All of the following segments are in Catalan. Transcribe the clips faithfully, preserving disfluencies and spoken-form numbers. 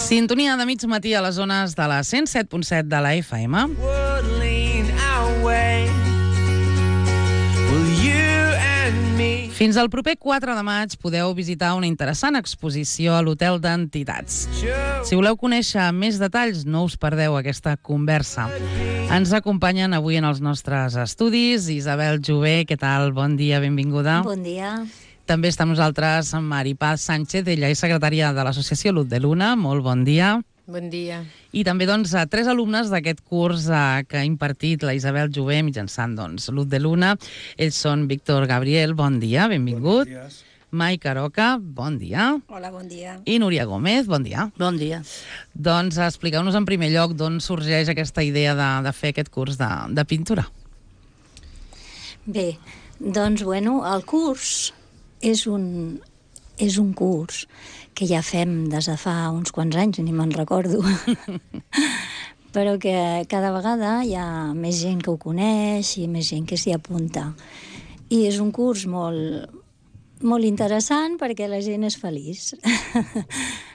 Sintonia de mig matí a les zones de la cent set punt set de la F M. Fins al proper quatre de maig podeu visitar una interessant exposició a l'Hotel d'Entitats. Si voleu conèixer més detalls, no us perdeu aquesta conversa. Ens acompanyen avui en els nostres estudis Isabel Jové. Què tal? Bon dia, benvinguda. Bon dia. També està amb nosaltres Mari Paz Sánchez, ella és secretària de l'associació Luz de Luna. Molt bon dia. Bon dia. I també doncs, tres alumnes d'aquest curs eh, que ha impartit la Isabel Jové mitjançant doncs, Luz de Luna. Ells són Víctor Gabriel, bon dia, benvingut. Bon dia. Mike Aroca, bon dia. Hola, bon dia. I Núria Gómez, bon dia. Bon dia. Doncs expliqueu-nos en primer lloc d'on sorgeix aquesta idea de, de fer aquest curs de, de pintura. Bé, doncs, bueno, el curs és un, és un curs que ja fem des de fa uns quants anys, ni me'n recordo, però que cada vegada hi ha més gent que ho coneix i més gent que s'hi apunta. I és un curs molt, molt interessant perquè la gent és feliç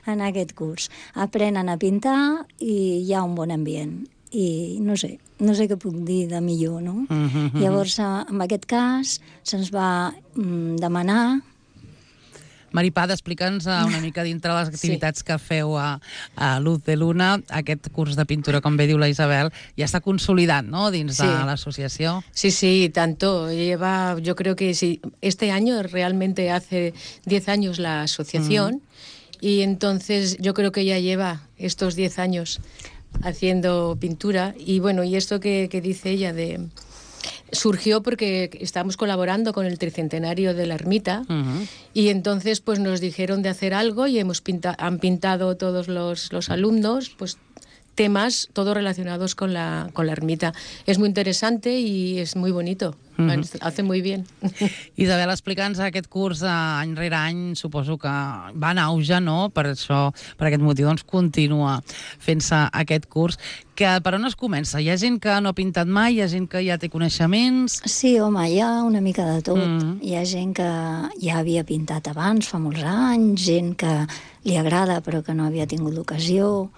en aquest curs. Aprenen a pintar i hi ha un bon ambient. I no sé, no sé què puc dir de millor, no? Mm-hmm. Llavors, en aquest cas, se'ns va mm, demanar... Mari Paz, explica'ns una mica dintre les activitats sí. que feu a, a Luz de Luna. Aquest curs de pintura, com bé diu la Isabel, ja està consolidat, ¿no?, dins sí. de l'associació. Sí, sí, tanto. Lleva, yo creo que sí, este año realmente hace diez años la asociación mm. y entonces yo creo que ya lleva estos diez años haciendo pintura. Y bueno, y esto que, que dice ella de... surgió porque estábamos colaborando con el tricentenario de la ermita uh-huh. y entonces pues nos dijeron de hacer algo y hemos pinta- han pintado todos los, los alumnos pues temas todos relacionados con la, con la ermita. Es muy interesante y es muy bonito. Uh-huh. Hace muy bien. Isabel, explica'ns aquest curs any rere any, suposo que va en auge, no? Per això, per aquest motiu, doncs continua fent-se aquest curs. Que per on es comença? Hi ha gent que no ha pintat mai? Hi ha gent que ja té coneixements? Sí, home, hi ha una mica de tot. Mm. Hi ha gent que ja havia pintat abans, fa molts anys, gent que li agrada però que no havia tingut l'ocasió.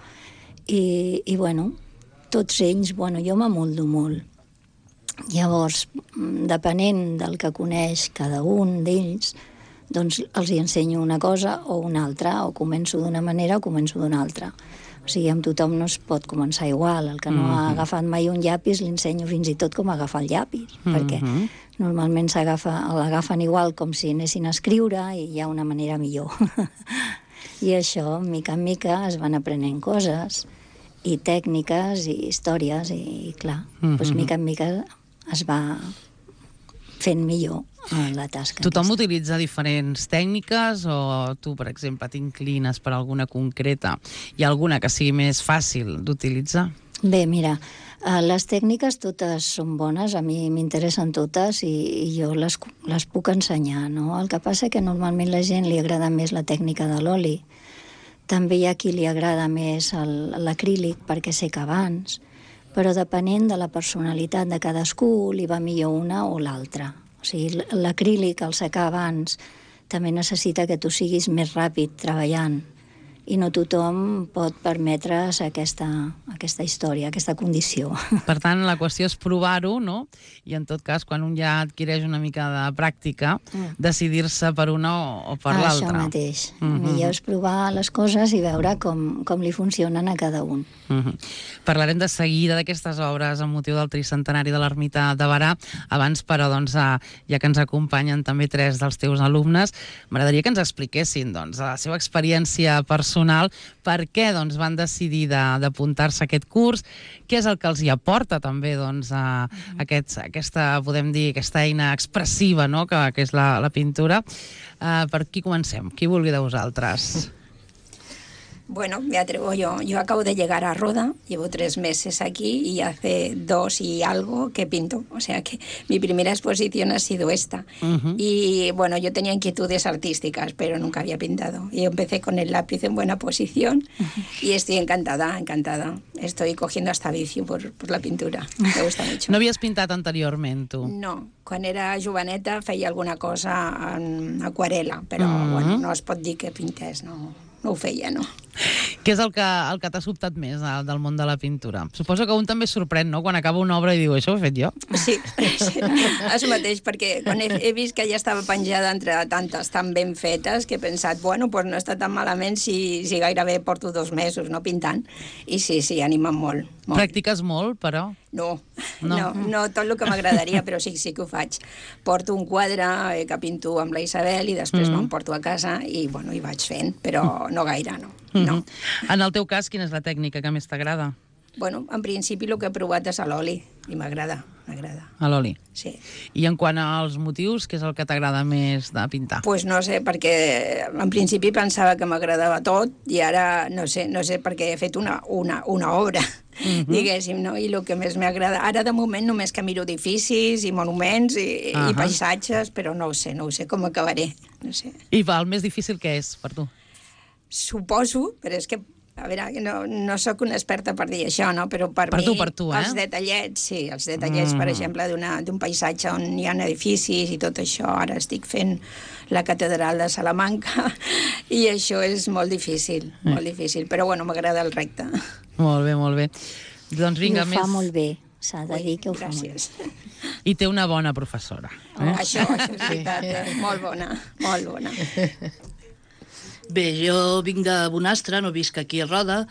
I, i bueno, tots ells, bueno, jo m'amoldo molt. Llavors, depenent del que coneix cada un d'ells, doncs els hi ensenyo una cosa o una altra, o començo d'una manera o començo d'una altra. O sigui, amb tothom no es pot començar igual. El que no mm-hmm. ha agafat mai un llapis l'ensenyo fins i tot com agafar el llapis, mm-hmm. perquè normalment s'agafa, l'agafen igual com si anessin a escriure i hi ha una manera millor. I això, mica en mica, es van aprenent coses i tècniques i històries i, clar, mm-hmm. doncs mica en mica es va fent millor la tasca. Tothom aquesta. Utilitza diferents tècniques o tu, per exemple, t'inclines per alguna concreta? Hi ha alguna que sigui més fàcil d'utilitzar? Bé, mira, les tècniques totes són bones, a mi m'interessen totes i, i jo les, les puc ensenyar, no? El que passa que normalment la gent li agrada més la tècnica de l'oli. També hi ha qui li agrada més el, l'acrílic perquè seca abans, però depenent de la personalitat de cadascú li va millor una o l'altra. O sigui, l'acrílic, al secar abans, també necessita que tu siguis més ràpid treballant i no tothom pot permetre's aquesta, aquesta història, aquesta condició. Per tant, la qüestió és provar-ho, no? I en tot cas, quan un ja adquireix una mica de pràctica, mm. decidir-se per una o, o per ah, l'altra. Això mateix. Mm-hmm. Millor és provar les coses i veure com, com li funcionen a cada un. Mm-hmm. Parlarem de seguida d'aquestes obres amb motiu del tricentenari de l'Ermita de Berà. Abans, però, doncs, ja que ens acompanyen també tres dels teus alumnes, m'agradaria que ens expliquessin doncs, la seva experiència personal, per què doncs, van decidir de, d'apuntar-se a aquest curs, què és el que els hi aporta també doncs, a, a aquest, aquesta, podem dir, aquesta eina expressiva, no?, que, que és la, la pintura. Uh, per qui comencem? Qui vulgui de vosaltres? Bueno, me atrevo yo. Yo acabo de llegar a Roda, llevo tres meses aquí y hace dos y algo que pinto. O sea que mi primera exposición ha sido esta. Uh-huh. Y bueno, yo tenía inquietudes artísticas, pero nunca había pintado. Y empecé con el lápiz en buena posición uh-huh. y estoy encantada, encantada. Estoy cogiendo hasta vicio por, por la pintura. Me gusta mucho. No havies pintat anteriorment, tu? No. Quan era joveneta feia alguna cosa en aquarela, però uh-huh. bueno, no es pot dir que pintés, no, no ho feia, no. Què és el que, el que t'ha sobtat més del, del món de la pintura? Suposo que un també es sorprèn, no?, quan acaba una obra i diu, això ho he fet jo? Sí, sí, és mateix, perquè quan he, he vist que ja estava penjada entre tantes tan ben fetes que he pensat, bueno, pues no està tan malament si, si gairebé porto dos mesos, no, pintant. I sí, sí, anima molt. molt. Practiques molt, però? No, No. no, no, no tot el que m'agradaria, però sí, sí que ho faig. Porto un quadre eh, que pinto amb la Isabel i després mm. me'n porto a casa i, bueno, hi vaig fent, però no gaire, no. Mm-hmm. no. En el teu cas, quina és la tècnica que més t'agrada? Bueno, en principi el que he provat és a l'oli i m'agrada, m'agrada. A l'oli? Sí. I en quant als motius, què és el que t'agrada més de pintar? Pues no sé, perquè en principi pensava que m'agradava tot i ara no sé, no sé perquè he fet una, una, una obra, uh-huh. diguéssim, no? I el que més m'agrada... Ara, de moment, només que miro edificis i monuments i, uh-huh. i paisatges, però no ho sé, no ho sé com acabaré, no sé. I va, el més difícil què és per tu? Suposo, però és que a veure, no, no sóc una experta per dir això, no? Però per, per mi, tu, per tu, eh? els detallets, sí, els detallets, mm. per exemple, d'un paisatge on hi ha edificis i tot això. Ara estic fent la catedral de Salamanca i això és molt difícil, mm. molt difícil, però bueno, m'agrada el recte. Molt bé, molt bé. Doncs vinga, I ho més... fa molt bé, s'ha de dir que ho gràcies. fa molt bé. I té una bona professora. Eh? Oh, això, això és veritat, eh? Molt bona, molt bona. Bé, jo vinc de Bonastre, no visc aquí a Roda,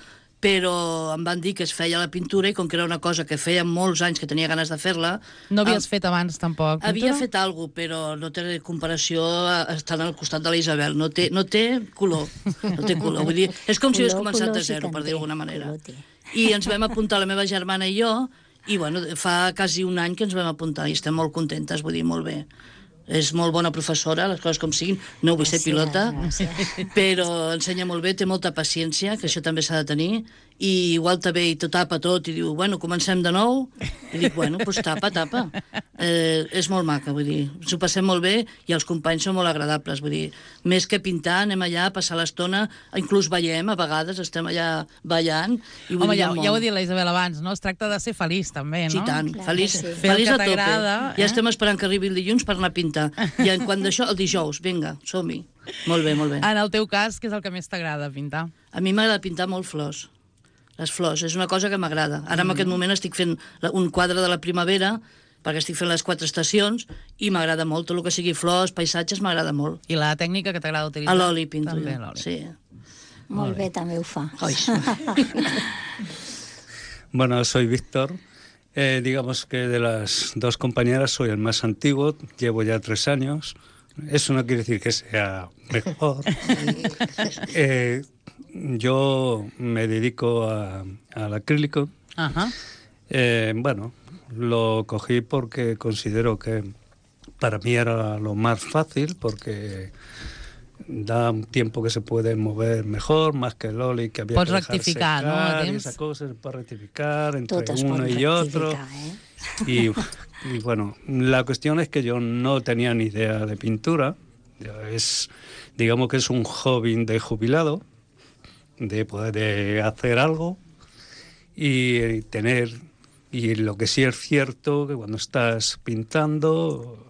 però em van dir que es feia la pintura i com que era una cosa que feia molts anys que tenia ganes de fer-la... No havies em... fet abans, tampoc, pintura? Havia fet alguna cosa, però no té comparació estant al costat de la Isabel. No té, no té color, no té color. Vull dir, és com color, si hagués començat de zero, sí per dir d'alguna manera. I ens vam apuntar la meva germana i jo, i bueno, fa quasi un any que ens vam apuntar i estem molt contentes, vull dir, molt bé. És molt bona professora, les coses com siguin, no vull ser pilota, però ensenya molt bé, té molta paciència, que això també s'ha de tenir, i igual també i t'ho tapa tot i diu, bueno, comencem de nou, i dic, bueno, doncs tapa, tapa. Eh, és molt maca, vull dir, ens ho passem molt bé i els companys són molt agradables, vull dir, més que pintar, anem allà a passar l'estona, inclús ballem, a vegades estem allà ballant. I Home, ja, ja ho ha dit la Isabel abans, no? Es tracta de ser feliç, també, no? Sí, tant, Clar, feliç, sí. feliç a tope. Eh? Ja estem esperant que arribi el dilluns per anar a pintar. I en quant d'això, el dijous, vinga, som-hi. Molt bé, molt bé. En el teu cas, què és el que més t'agrada pintar? A mi m'agrada pintar molt flors. Les flors, és una cosa que m'agrada. Ara en aquest moment estic fent un quadre de la primavera, perquè estic fent les quatre estacions, i m'agrada molt. Tot el que sigui flors, paisatges, m'agrada molt. I la tècnica que t'agrada utilitzar? A l'oli pinto també, jo, l'oli. sí. Molt bé, també ho fa. Oi. Bueno, soy Víctor. Eh, digamos que de las dos compañeras soy el más antiguo, llevo ya tres años. Eso no quiere decir que sea mejor. eh, yo me dedico a, al acrílico. Ajá. Eh, bueno, lo cogí porque considero que para mí era lo más fácil, porque da un tiempo que se puede mover mejor, más que el oli, que había Pots que dejar rectificar, secar, no? y esa cosa se puede rectificar entre Tot es uno pot y otro. rectificar, eh? Y, y bueno, la cuestión es que yo no tenía ni idea de pintura. Es, digamos que es un hobby de jubilado, de poder de hacer algo y tener... Y lo que sí es cierto, que cuando estás pintando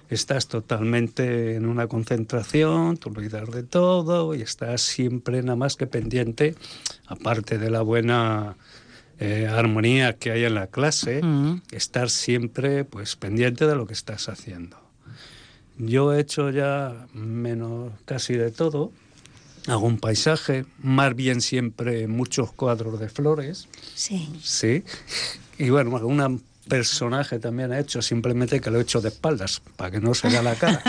estás totalmente en una concentración, te olvidas de todo y estás siempre nada más que pendiente, aparte de la buena eh, armonía que hay en la clase, mm. estar siempre pues pendiente de lo que estás haciendo. Yo he hecho ya menos casi de todo. Hago un paisaje, más bien siempre muchos cuadros de flores. Sí. Sí. Y bueno, un personaje también he hecho, simplemente que lo he hecho de espaldas, para que no se vea la cara.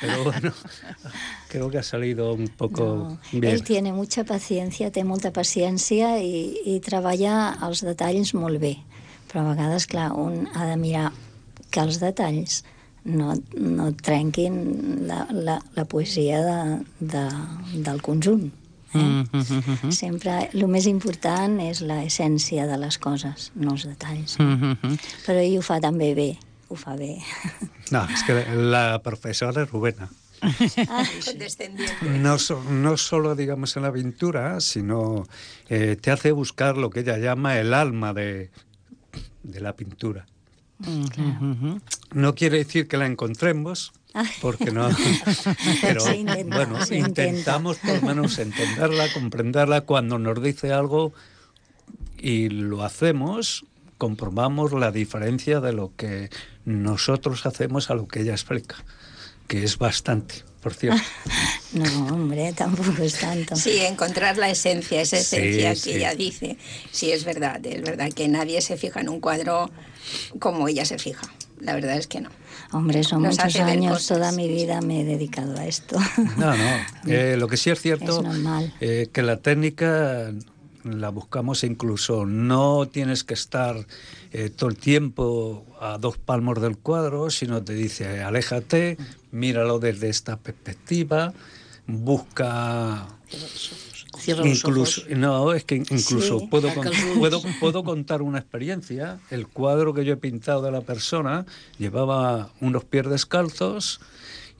Pero bueno, creo que ha salido un poco no, bien. Ell tiene mucha paciencia, té molta paciència i, i treballa els detalls molt bé. Però a vegades, clar, un ha de mirar que els detalls no, no trenquin la, la, la poesia de, de, del conjunt. Eh? Mm -hmm. Sempre el més important és l'essència de les coses, no els detalls. Mm -hmm. Però ell ho fa també bé, ho fa bé. No, es que la profesora es Rubena. Ah, condescendiente. No, so, no solo, digamos, en la pintura, sino eh, te hace buscar lo que ella llama el alma de, de la pintura. Mm, claro. No quiere decir que la encontremos, porque no... Pero, intenta, bueno, intentamos por lo menos entenderla, comprenderla. Cuando nos dice algo y lo hacemos, comprobamos la diferencia de lo que nosotros hacemos a lo que ella explica, que es bastante, por cierto. No, hombre, tampoco es tanto. Sí, encontrar la esencia, esa esencia sí, que sí. ella dice. Sí, es verdad, es verdad que nadie se fija en un cuadro como ella se fija. La verdad es que no. Hombre, son Nos muchos hace ver años, cosas. toda mi vida me he dedicado a esto. No, no. Eh, lo que sí es cierto Es normal. Eh, que la técnica la buscamos incluso. No tienes que estar eh, todo el tiempo a dos palmos del cuadro, sino te dice, aléjate, míralo desde esta perspectiva, busca... Cierra los Incluso, ojos. no, es que incluso Sí. puedo, con- puedo, puedo contar una experiencia. El cuadro que yo he pintado de la persona llevaba unos pies descalzos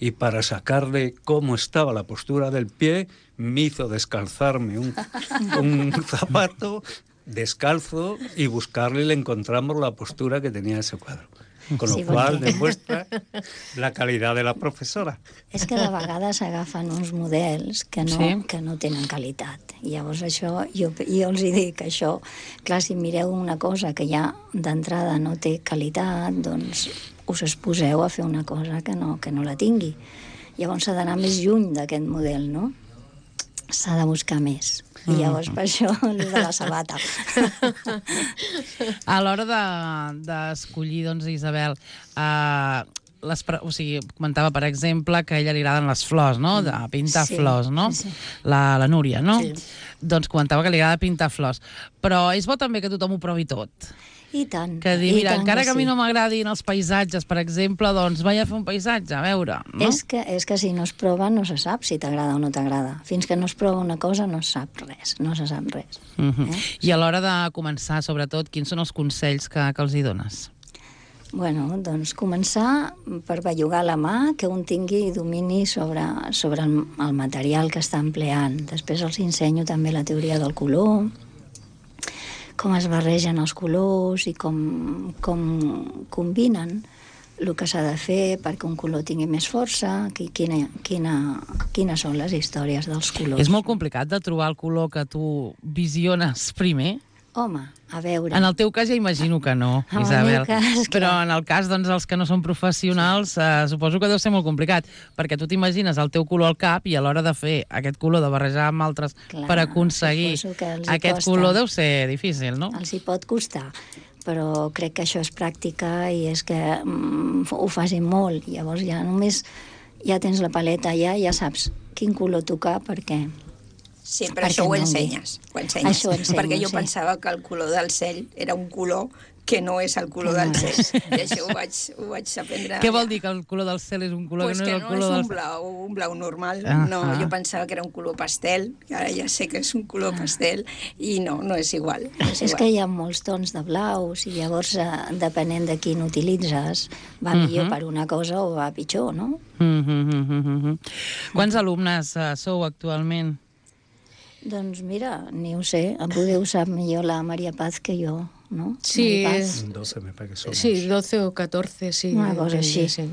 y para sacarle cómo estaba la postura del pie me hizo descalzarme un, un zapato descalzo y buscarle y le encontramos la postura que tenía ese cuadro. Con lo Sí, cual perquè- demuestra la calidad de la profesora. És que de vegades s'agafen uns models que no, Sí. que no tenen qualitat. I llavors això, jo, jo els hi dic això, clar, si mireu una cosa que ja d'entrada no té qualitat, doncs us exposeu a fer una cosa que no, que no la tingui. Llavors s'ha d'anar més lluny d'aquest model, no? S'ha de buscar més. I llavors per això és de la sabata. A l'hora de- d'escollir, de, doncs, Isabel, eh, les, pre- o sigui, comentava, per exemple, que a ella li agraden les flors, no? De pintar Sí, flors, no? sí, sí. La, la Núria, no? Sí. Doncs comentava que li agrada pintar flors. Però és bo també que tothom ho provi tot. I tant. Que dir, i mira, tant encara que a mi sí. no m'agradin els paisatges, per exemple, doncs vaig a fer un paisatge, a veure, no? És que, és que si no es prova no se sap si t'agrada o no t'agrada. Fins que no es prova una cosa no es sap res, no se sap res. Uh -huh. eh? I a l'hora de començar, sobretot, quins són els consells que, que els hi dones? Bueno, doncs començar per bellugar la mà, que un tingui domini sobre, sobre el, el material que està empleant. Després els ensenyo també la teoria del color, com es barregen els colors i com, com combinen el que s'ha de fer perquè un color tingui més força, qui- quina, quina, quines són les històries dels colors. És molt complicat de trobar el color que tu visiones primer? Home, a veure... En el teu cas ja imagino que no, En el Isabel. meu cas, Però clar. en el cas doncs, dels que no són professionals, eh, suposo que deu ser molt complicat, perquè tu t'imagines el teu color al cap i a l'hora de fer aquest color, de barrejar amb altres Clar, per aconseguir suposo que els hi aquest costa. color deu ser difícil, no? Els hi pot costar, però crec que això és pràctica i és que mm, ho facin molt. Llavors ja només ja tens la paleta allà i ja saps quin color tocar perquè... Sí, però Perquè això ho no ensenyes, ho ensenyes. Això ho ensenyo, perquè jo sí. pensava que el color del cel era un color que no és el color Que del no cel. és. I això ho vaig, ho vaig aprendre. Què vol dir que el color del cel és un color Pues que no que és el no color és del un cel? blau, un blau normal. Ah, No, ah. jo pensava que era un color pastel, i ara ja sé que és un color pastel, i no, no és igual. No és, És igual. que hi ha molts tons de blaus i llavors, eh, depenent de quin utilitzes, va millor per una cosa o va pitjor, no? Mm -hmm, mm -hmm, mm -hmm. Quants alumnes uh, sou actualment? Doncs mira, ni ho sé, em podeu sap millor la Maria Paz que jo, no? Sí, Maria Paz. es- doce me parece que somos. Sí, doce o catorce, sí. Una cosa així. Sí.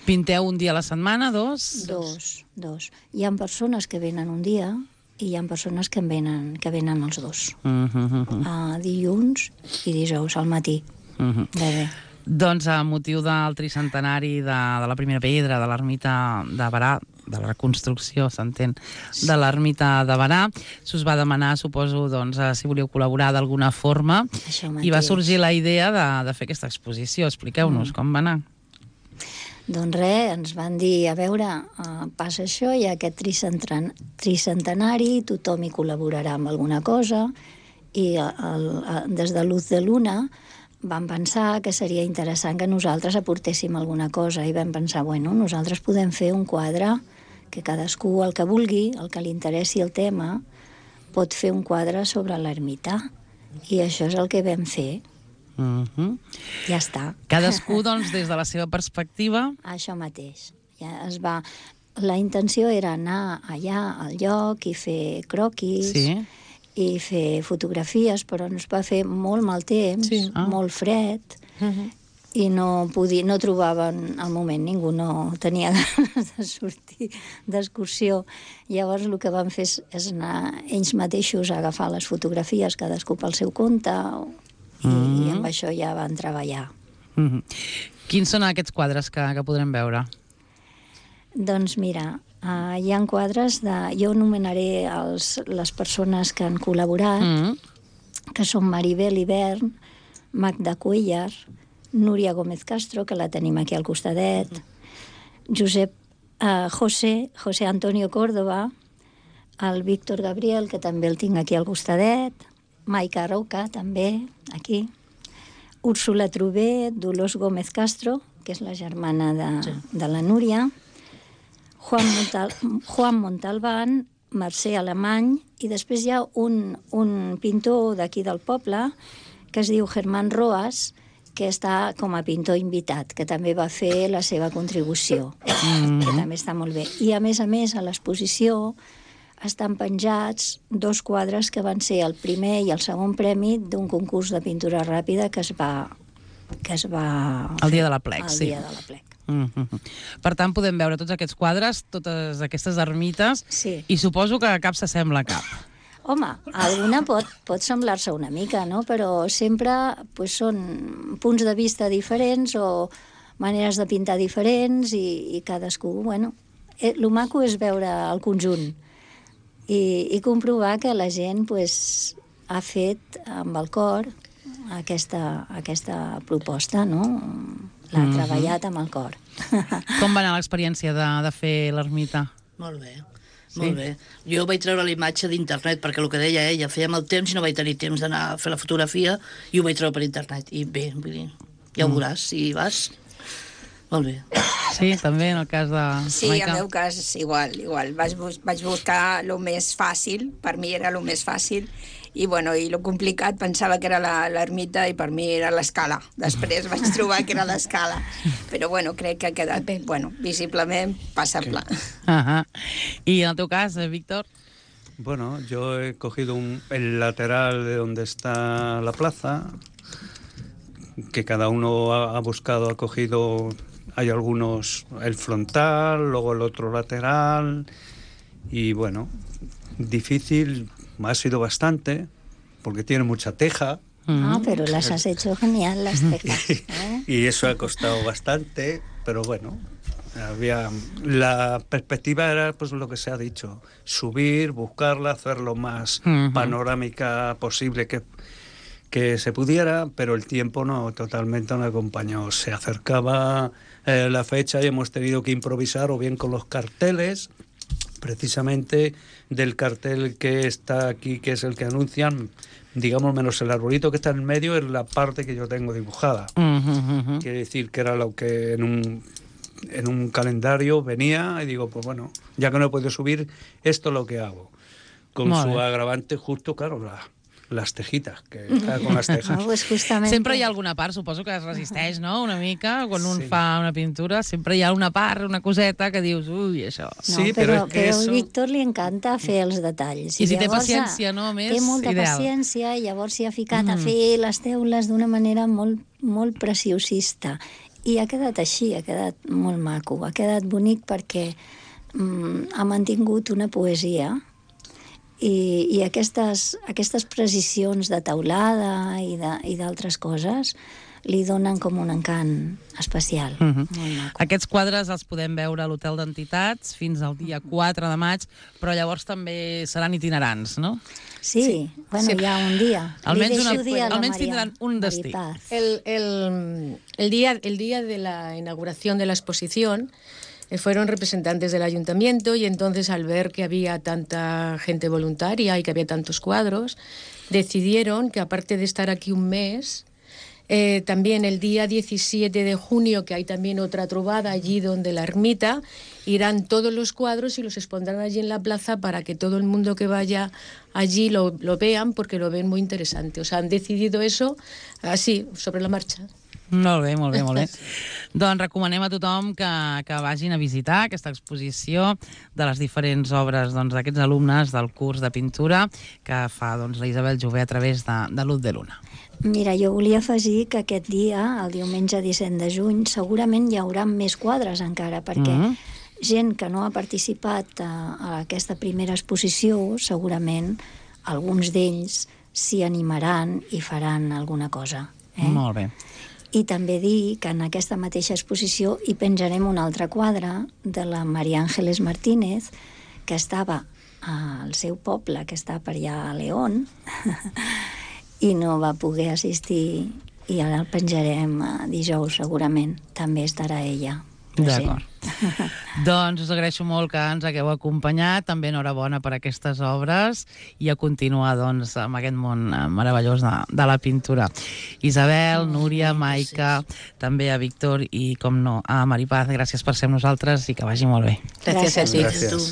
Pinteu un dia a la setmana, dos? Dos, dos. Hi ha persones que venen un dia i hi ha persones que en venen, que venen els dos. Mm -hmm. A dilluns i dijous al matí. Mm -hmm. Bé, bé. Doncs a motiu del tricentenari de, de la primera pedra de l'ermita de Barà, de la reconstrucció, s'entén, de l'ermita de Barà, s'us va demanar, suposo, doncs, eh, si volíeu col·laborar d'alguna forma, Això i va mateix. sorgir la idea de, de fer aquesta exposició. Expliqueu-nos mm. com va anar. Doncs res, ens van dir, a veure, uh, passa això, hi ha aquest tricentren- tricentenari, tothom hi col·laborarà amb alguna cosa, i el, el, des de Luz de Luna vam pensar que seria interessant que nosaltres aportéssim alguna cosa, i vam pensar, bueno, nosaltres podem fer un quadre que cadascú, el que vulgui, el que li interessi el tema, pot fer un quadre sobre l'ermita. I això és el que vam fer. Mm -hmm. Ja està. Cadascú, doncs, des de la seva perspectiva... Això mateix. Ja es va... La intenció era anar allà al lloc i fer croquis Sí. i fer fotografies, però ens va fer molt mal temps, Sí. Ah. molt fred, Ujú. i no, podia, no trobaven al moment, ningú no tenia ganes de sortir d'excursió. Llavors el que van fer és, és anar ells mateixos a agafar les fotografies, cadascú pel seu compte, i, mm-hmm. i amb això ja van treballar. Mm-hmm. Quins són aquests quadres que, que podrem veure? Doncs mira, uh, hi ha quadres de... Jo anomenaré els, les persones que han col·laborat, mm-hmm. que són Maribel Ibern, Magda Cuellar, Núria Gómez Castro, que la tenim aquí al costadet, Josep, uh, José, José Antonio Córdoba, el Víctor Gabriel, que també el tinc aquí al costadet, Maica Roca, també, aquí, Úrsula Trubé, Dolors Gómez Castro, que és la germana de, sí. de la Núria, Juan, Montal, Juan Montalbán, Mercè Alemany, i després hi ha un, un pintor d'aquí del poble, que es diu Germán Roas, que està com a pintor invitat, que també va fer la seva contribució, mm-hmm. que també està molt bé. I a més a més, a l'exposició estan penjats dos quadres que van ser el primer i el segon premi d'un concurs de pintura ràpida que es va... que es va el dia de la plec, el sí. dia de la plec. Mm-hmm. Per tant, podem veure tots aquests quadres, totes aquestes ermites, sí. i suposo que cap s'assembla a cap. Home, alguna pot, pot semblar-se una mica, no? Però sempre pues, són punts de vista diferents o maneres de pintar diferents i, i cadascú, bueno... Eh, lo maco és veure el conjunt i, i comprovar que la gent pues, ha fet amb el cor aquesta, aquesta proposta, no? L'ha mm-hmm. treballat amb el cor. Com va anar l'experiència de, de fer l'ermita? Molt bé. Sí? Molt bé. Jo vaig treure la imatge d'internet, perquè el que deia ella, fèiem el temps i no vaig tenir temps d'anar a fer la fotografia i ho vaig treure per internet. I bé, vull dir, ja ho veuràs, si vas. Molt bé. Sí, també en el cas de... Sí, Maica. en el meu cas és igual, igual. Vaig, bus vaig buscar el més fàcil, per mi era el més fàcil, i bueno, i lo complicat pensava que era l'ermita i per mi era l'escala. Després vaig trobar que era l'escala. Però bueno, crec que ha quedat, bueno, visiblement passable. Ajá. ¿Y en el teu cas, Víctor? Bueno, yo he cogido un, el lateral de donde está la plaza, que cada uno ha, ha buscado, ha cogido, hay algunos el frontal, luego el otro lateral, y bueno, difícil, ha sido bastante, porque tiene mucha teja. Ah, pero las has hecho genial, las tejas. ¿eh? Y eso ha costado bastante, pero bueno, había la perspectiva era pues lo que se ha dicho, subir, buscarla, hacer lo más uh-huh. panorámica posible que, que se pudiera, pero el tiempo no totalmente no acompañó. Se acercaba eh, la fecha y hemos tenido que improvisar o bien con los carteles, precisamente del cartel que está aquí, que es el que anuncian, digamos, menos el arbolito que está en el medio, es la parte que yo tengo dibujada. Uh-huh, uh-huh. Quiere decir que era lo que en un, en un calendario venía y digo, pues bueno, ya que no he podido subir, esto es lo que hago. Con Molt su bé. Agravante justo, claro, la... les tejitas, que està con les tejas. No, pues justamente... Sempre hi ha alguna part, suposo que es resisteix, no?, una mica, quan un sí. fa una pintura, sempre hi ha una part, una coseta que dius, ui, això... No, sí, però, però, és però eso... al Víctor li encanta fer els detalls. I si té paciència, no?, més té molta ideal. paciència i llavors s'hi ha ficat Mm. a fer les teules d'una manera molt, molt preciosista. I ha quedat així, ha quedat molt maco, ha quedat bonic perquè mm, ha mantingut una poesia. I, i aquestes, aquestes precisions de teulada i d'altres coses li donen com un encant especial. Uh-huh. Molt maco. Aquests quadres els podem veure a l'Hotel d'Entitats fins al dia quatre de maig, però llavors també seran itinerants, no? Sí, sí. Bueno, sí. Hi ha un dia. Almenys, una, dia almenys Maria, tindran un destí. El, el, el, día, el día de la inauguración de la exposición fueron representantes del ayuntamiento y entonces al ver que había tanta gente voluntaria y que había tantos cuadros, decidieron que aparte de estar aquí un mes, eh, también el día diecisiete de junio, que hay también otra trovada allí donde la ermita, irán todos los cuadros y los expondrán allí en la plaza para que todo el mundo que vaya allí lo, lo vean, porque lo ven muy interesante. O sea, han decidido eso así, sobre la marcha. Molt bé, molt bé, molt bé. Doncs recomanem a tothom que, que vagin a visitar aquesta exposició de les diferents obres doncs, d'aquests alumnes del curs de pintura que fa doncs, la Isabel Jové a través de, de l'Ut de Luna. Mira, jo volia afegir que aquest dia, el diumenge disset de juny, segurament hi haurà més quadres encara, perquè mm -hmm. gent que no ha participat a, a aquesta primera exposició, segurament alguns d'ells s'hi animaran i faran alguna cosa. Eh? Molt bé. I també dir que en aquesta mateixa exposició hi penjarem un altre quadre de la María Ángeles Martínez, que estava al seu poble, que està per allà a León, i no va poder assistir, i ara el penjarem dijous, segurament. També estarà ella present. D'acord. Doncs us agraeixo molt que ens hagueu acompanyat, també enhorabona per aquestes obres i a continuar doncs, amb aquest món meravellós de, de la pintura. Isabel, Núria, Maica, també a Víctor i, com no, a Maripaz, gràcies per ser amb nosaltres i que vagi molt bé. Gràcies a tu. Gràcies.